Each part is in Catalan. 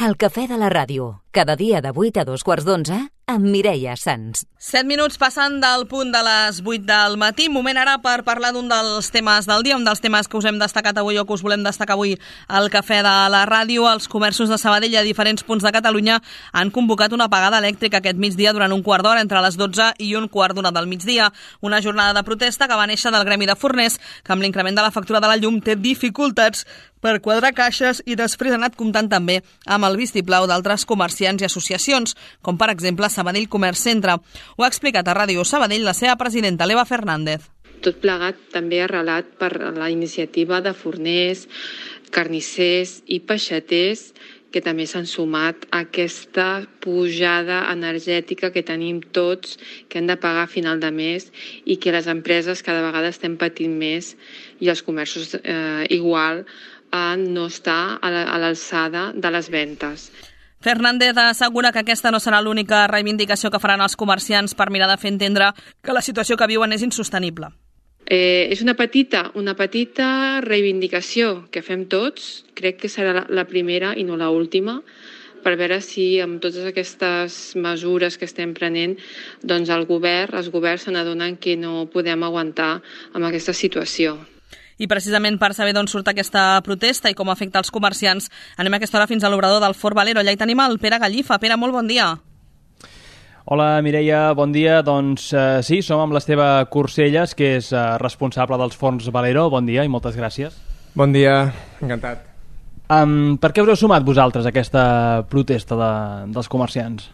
El cafè de la ràdio, cada dia de 8 a 2:15 amb Mireia Sans. 7 minuts passant del punt de les 8 del matí. Moment ara per parlar d'un dels temes del dia, un dels temes que us hem destacat avui o que us volem destacar avui al cafè de la ràdio. Els comerços de Sabadell a diferents punts de Catalunya han convocat una apagada elèctrica aquest migdia durant un quart d'hora entre les 12 i un quart d'una del migdia. Una jornada de protesta que va néixer del gremi de forners, que amb l'increment de la factura de la llum té dificultats per quadrar caixes i després ha anat comptant també amb el vistiplau d'altres comerciants i associacions, com per exemple Sabadell Comerç Centre. Ho ha explicat a Ràdio Sabadell la seva presidenta, l'Eva Fernández. Tot plegat també arrelat per la iniciativa de forners, carnissers i peixaters que també s'han sumat a aquesta pujada energètica que tenim tots, que hem de pagar a final de mes i que les empreses cada vegada estem patint més i els comerços igual a no estar a l'alçada de les ventes. Fernández assegura que aquesta no serà l'única reivindicació que faran els comerciants per mirar de fer entendre que la situació que viuen és insostenible. És una petita reivindicació que fem tots, crec que serà la primera i no l'última, per veure si amb totes aquestes mesures que estem prenent, doncs els governs se n'adonen que no podem aguantar amb aquesta situació. I precisament per saber d'on surt aquesta protesta i com afecta els comerciants, anem a aquesta hora fins a l'obrador del Fort Valero. Allà hi tenim el Pere Gallifa. Pere, molt bon dia. Hola, Mireia, bon dia. Doncs sí, som amb l'Esteve Corcelles, que és responsable dels Forns Valero. Bon dia i moltes gràcies. Bon dia, encantat. Per què us heu sumat vosaltres a aquesta protesta dels comerciants?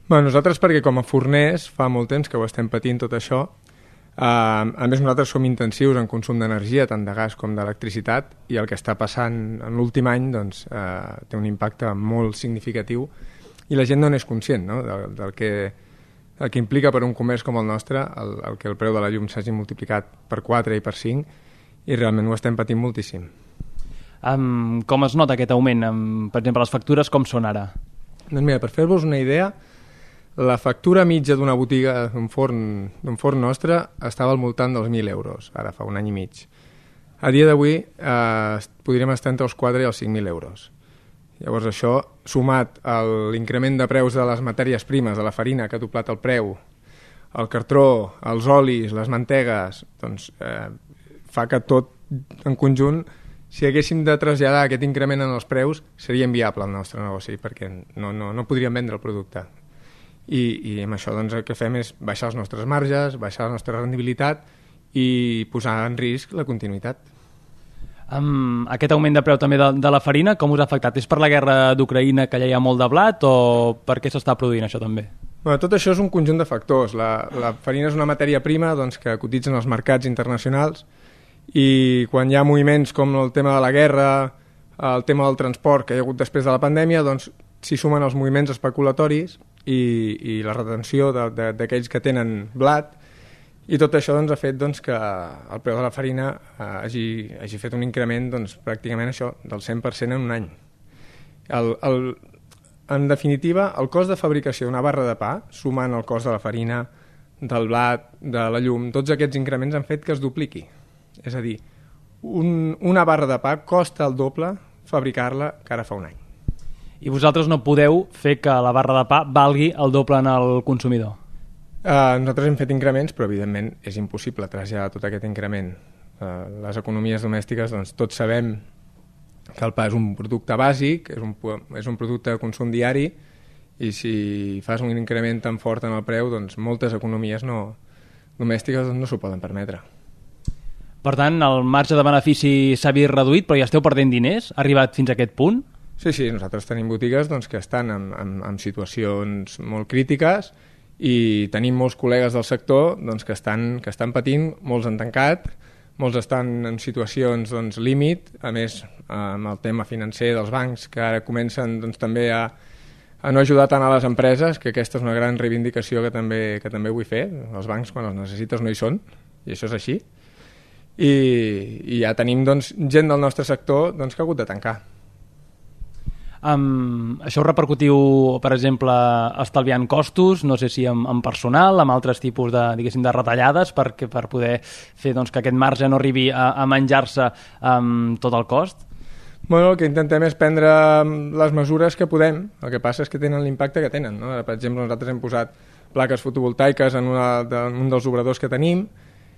Nosaltres perquè com a forners fa molt temps que ho estem patint tot això. A més, nosaltres som intensius en consum d'energia, tant de gas com d'electricitat, i el que està passant en l'últim any doncs, té un impacte molt significatiu i la gent no n'és conscient, no? del que implica per un comerç com el nostre el que el preu de la llum s'hagi multiplicat per 4 i per 5, i realment ho estem patint moltíssim. Com es nota aquest augment? Per exemple, les factures com són ara? Doncs mira, per fer-vos una idea, la factura mitja d'una botiga d'un forn nostre estava al voltant dels 1.000 euros, ara fa un any i mig. A dia d'avui podríem estar entre els 4 i els 5.000 euros. Llavors això, sumat a l'increment de preus de les matèries primes, de la farina que ha doblat el preu, el cartró, els olis, les mantegues, doncs fa que tot en conjunt, si haguéssim de traslladar aquest increment en els preus, seria inviable el nostre negoci, perquè no podríem vendre el producte. I amb això doncs, el que fem és baixar els nostres marges, baixar la nostra rendibilitat i posar en risc la continuïtat. Aquest augment de preu també de la farina, com us ha afectat? És per la guerra d'Ucraïna, que allà hi ha molt de blat, o per què s'està produint això també? Tot això és un conjunt de factors. La farina és una matèria prima doncs, que cotitza en els mercats internacionals, i quan hi ha moviments com el tema de la guerra, el tema del transport que hi ha hagut després de la pandèmia, doncs s'hi sumen els moviments especulatoris i la retenció d'aquells que tenen blat, i tot això doncs, ha fet doncs, que el preu de la farina hagi fet un increment doncs, pràcticament això del 100% en un any. En definitiva, el cost de fabricació d'una barra de pa, sumant el cost de la farina, del blat, de la llum, tots aquests increments han fet que es dupliqui. És a dir, una barra de pa costa el doble fabricar-la que ara fa un any. I vosaltres no podeu fer que la barra de pa valgui el doble en el consumidor? Nosaltres hem fet increments, però evidentment és impossible traslladar tot aquest increment. Les economies domèstiques, doncs, tots sabem que el pa és un producte bàsic, és un producte de consum diari, i si fas un increment tan fort en el preu, doncs moltes economies domèstiques no s'ho poden permetre. Per tant, el marge de benefici s'ha vist reduït, però ja esteu perdent diners? Ha arribat fins a aquest punt? Sí, nosaltres tenim botigues doncs, que estan en situacions molt crítiques, i tenim molts col·legues del sector doncs, que estan patint, molts han tancat, molts estan en situacions doncs, límit, a més amb el tema financer dels bancs, que ara comencen doncs, també a no ajudar tant a les empreses, que aquesta és una gran reivindicació que també vull fer. Els bancs, quan els necessites, no hi són, i això és així. I ja tenim doncs, gent del nostre sector doncs, que ha hagut de tancar. Això ho repercutiu, per exemple, estalviant costos, no sé si amb personal, amb altres tipus de retallades per poder fer doncs, que aquest marge no arribi a menjar-se tot el cost? Bueno, el que intentem és prendre les mesures que podem, el que passa és que tenen l'impacte que tenen, no? Ara, per exemple, nosaltres hem posat plaques fotovoltaiques en un dels obradors que tenim,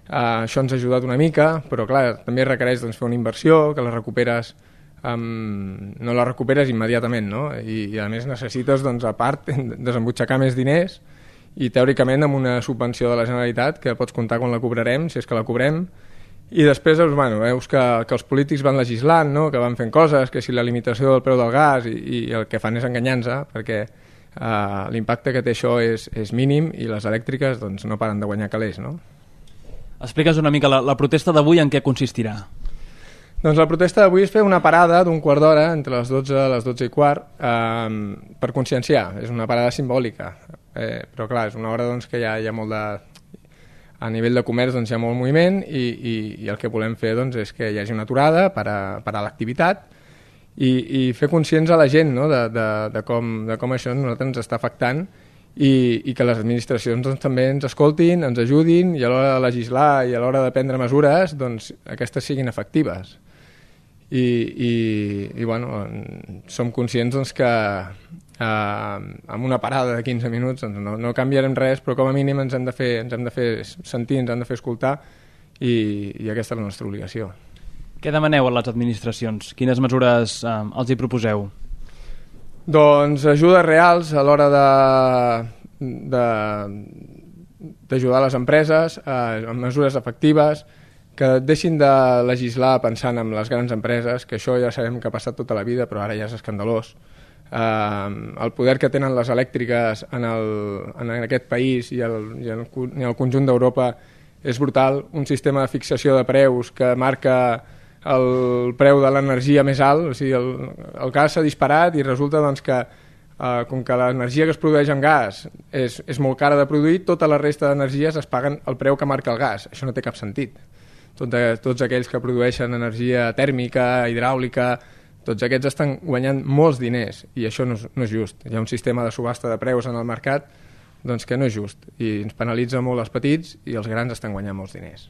això ens ha ajudat una mica, però clar, també requereix doncs, fer una inversió, que la recuperes, no la recuperes immediatament, no? I a més necessites, doncs, a part, desembutxacar més diners, i teòricament amb una subvenció de la Generalitat que pots comptar quan la cobrarem, si és que la cobrem, i després bueno, veus que els polítics van legislant, no? Que van fent coses, que si la limitació del preu del gas, i el que fan és enganyar-nos, perquè l'impacte que té això és mínim i les elèctriques doncs, no paren de guanyar calés, no? Explica'ns una mica la protesta d'avui en què consistirà. Doncs la protesta d'avui és fer una parada d'un quart d'hora entre les 12 i les 12 i quart per conscienciar, és una parada simbòlica, però clar, és una hora doncs, que hi ha molt de... A nivell de comerç doncs, hi ha molt moviment i el que volem fer doncs, és que hi hagi una aturada per a l'activitat i fer conscients a la gent, no? de com això a nosaltres ens està afectant i que les administracions doncs, també ens escoltin, ens ajudin i a l'hora de legislar i a l'hora de prendre mesures doncs, aquestes siguin efectives. I bueno, som conscients doncs, que amb una parada de 15 minuts doncs no canviarem res, però com a mínim ens hem de fer sentir, ens hem de fer escoltar i aquesta és la nostra obligació. Què demaneu a les administracions? Quines mesures els hi proposeu? Doncs ajudes reals a l'hora d'ajudar les empreses, amb mesures efectives, que deixin de legislar pensant en les grans empreses, que això ja sabem que ha passat tota la vida, però ara ja és escandalós. El poder que tenen les elèctriques en aquest país i el conjunt d'Europa és brutal. Un sistema de fixació de preus que marca el preu de l'energia més alt, o sigui, el gas s'ha disparat i resulta doncs, que com que l'energia que es produeix amb gas és molt cara de produir, tota la resta d'energies es paguen el preu que marca el gas. Això no té cap sentit. Tots aquells que produeixen energia tèrmica, hidràulica, tots aquests estan guanyant molts diners i això no és just. Hi ha un sistema de subhasta de preus en el mercat doncs, que no és just i ens penalitza molt els petits i els grans estan guanyant molts diners.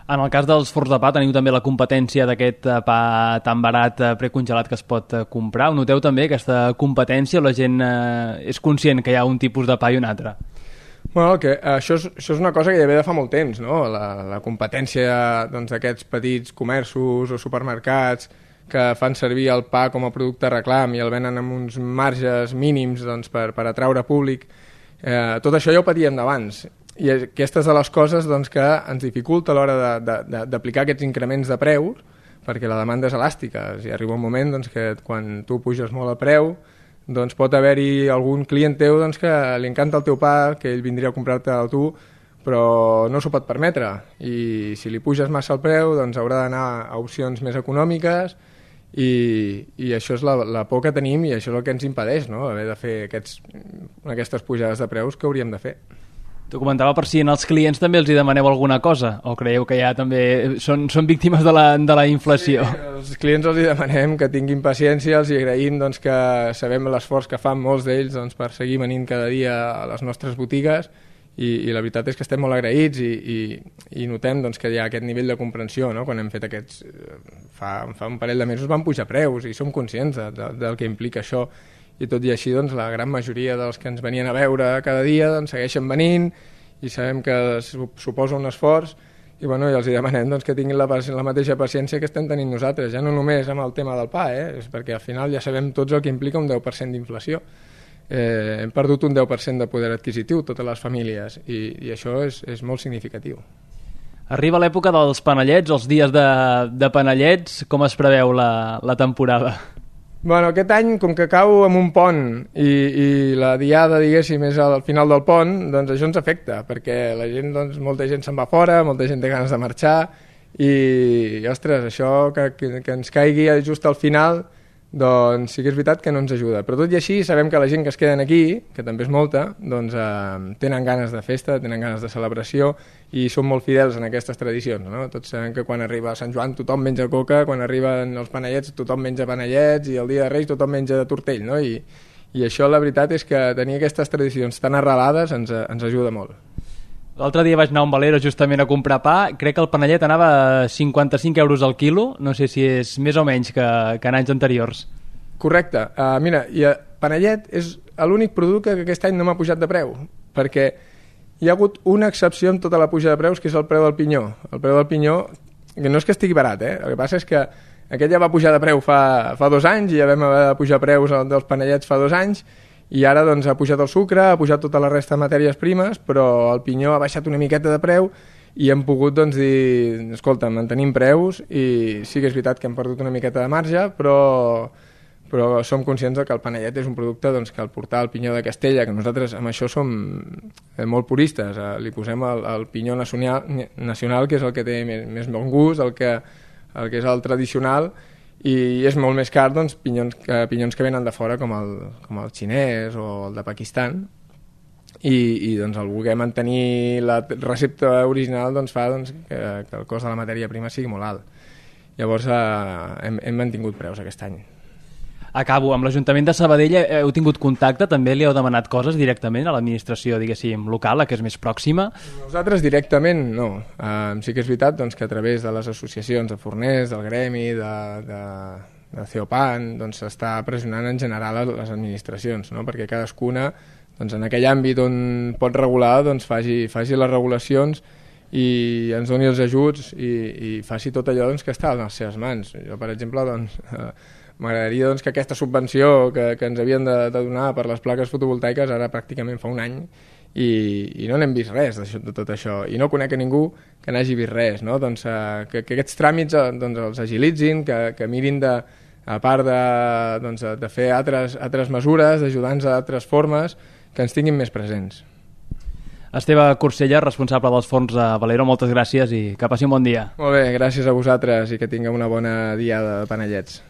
En el cas dels forns de pa teniu també la competència d'aquest pa tan barat precongelat que es pot comprar. Ho noteu també aquesta competència o la gent és conscient que hi ha un tipus de pa i un altre? Bueno, això és una cosa que ja ve de fa molt temps, no? La competència d'aquests petits comerços o supermercats que fan servir el pa com a producte reclam i el venen amb uns marges mínims doncs, per atraure públic. Tot això ja ho patíem d'abans. I aquestes de les coses doncs, que ens dificulta a l'hora d'aplicar aquests increments de preus, perquè la demanda és elàstica. O sigui, arriba un moment doncs, que quan tu puges molt el preu, doncs pot haver-hi algun client teu doncs, que li encanta el teu pa, que ell vindria a comprar-te-el tu, però no s'ho pot permetre. I si li puges massa el preu, doncs haurà d'anar a opcions més econòmiques i això és la por que tenim i això és el que ens impedeix, no? Haver de fer aquestes pujades de preus que hauríem de fer. T'ho comentava per si en els clients també els hi demaneu alguna cosa o creieu que ja també són víctimes de la inflació? Sí, els clients els hi demanem que tinguin paciència, els hi agraïm doncs, que sabem l'esforç que fan molts d'ells doncs, per seguir venint cada dia a les nostres botigues i la veritat és que estem molt agraïts i notem doncs, que hi ha aquest nivell de comprensió, no? Quan hem fet aquests... Fa un parell de mesos van pujar preus i som conscients del que implica això i tot i així doncs, la gran majoria dels que ens venien a veure cada dia doncs, segueixen venint i sabem que suposa un esforç i els hi demanem doncs, que tinguin la mateixa paciència que estem tenint nosaltres, ja no només amb el tema del pa, és perquè al final ja sabem tots el que implica un 10% d'inflació. Hem perdut un 10% de poder adquisitiu totes les famílies i això és molt significatiu. Arriba l'època dels panellets, els dies de panellets, com es preveu la temporada? Bueno, aquest any, com que cau amb un pont i la diada, diguéssim, és al final del pont, doncs això ens afecta, perquè la gent, doncs, molta gent se'n va fora, molta gent té ganes de marxar i, ostres, això que ens caigui just al final, doncs sí que és veritat que no ens ajuda. Però tot i així sabem que la gent que es queden aquí, que també és molta, doncs tenen ganes de festa, tenen ganes de celebració i són molt fidels en aquestes tradicions, no? Tots sabem que quan arriba Sant Joan tothom menja coca, quan arriben els panellets tothom menja panellets i el dia de Reis tothom menja de tortell, no? I això la veritat és que tenir aquestes tradicions tan arrelades ens ajuda molt. L'altre dia vaig anar a un Valero justament a comprar pa, crec que el panellet anava a 55 euros al quilo, no sé si és més o menys que en anys anteriors. Correcte. Mira, panellet és l'únic producte que aquest any no m'ha pujat de preu, perquè hi ha hagut una excepció en tota la puja de preus, que és el preu del pinyó. El preu del pinyó, que no és que estigui barat, el que passa és que aquest ja va pujar de preu fa 2 anys, i ja vam haver de pujar preus dels panellets fa 2 anys, i ara doncs ha pujat el sucre, ha pujat tota la resta de matèries primes, però el pinyó ha baixat una miqueta de preu i hem pogut doncs, dir, escolta, mantenim preus, i sí que és veritat que hem perdut una miqueta de marge, però som conscients que el panellet és un producte doncs, que al portar el pinyó de Castella, que nosaltres amb això som molt puristes, li posem el pinyó nacional, que és el que té més bon gust, el que és el tradicional, i és molt més car doncs, pinyons que venen de fora com el xinès o el de Pakistan, i doncs, el voler mantenir la recepta original doncs, fa doncs, que el cost de la matèria prima sigui molt alt. Llavors hem mantingut preus aquest any. Acabo, amb l'Ajuntament de Sabadell heu tingut contacte, també li heu demanat coses directament a l'administració, diguéssim, local, la que és més pròxima? Nosaltres directament no. Sí que és veritat doncs, que a través de les associacions de forners, del gremi, de Ceopan, doncs s'està pressionant en general les administracions, no? Perquè cadascuna doncs, en aquell àmbit on pot regular doncs, faci les regulacions i ens doni els ajuts i faci tot allò doncs, que està a les seves mans. Jo, per exemple, doncs, m'agradaria doncs, que aquesta subvenció que ens havien de donar per les plaques fotovoltaiques ara pràcticament fa un any i no n'hem vist res de tot això, i no conec a ningú que n'hagi vist res, no? Doncs, que aquests tràmits doncs, els agilitzin, que mirin a part de fer altres mesures, d'ajudar-nos d'altres formes, que ens tinguin més presents. Esteve Corsella, responsable dels forns de Valero, moltes gràcies i que passi un bon dia. Molt bé, gràcies a vosaltres i que tingueu una bona diada de panellets.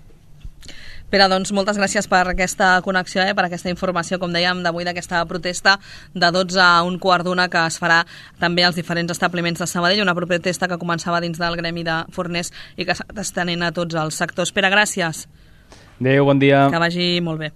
Pere, doncs moltes gràcies per aquesta connexió, per aquesta informació, com dèiem, d'avui d'aquesta protesta de 12 a 1:15 que es farà també als diferents establiments de Sabadell, una protesta que començava dins del gremi de forners i que s'està estenent a tots els sectors. Pere, gràcies. Adéu, bon dia. Que vagi molt bé.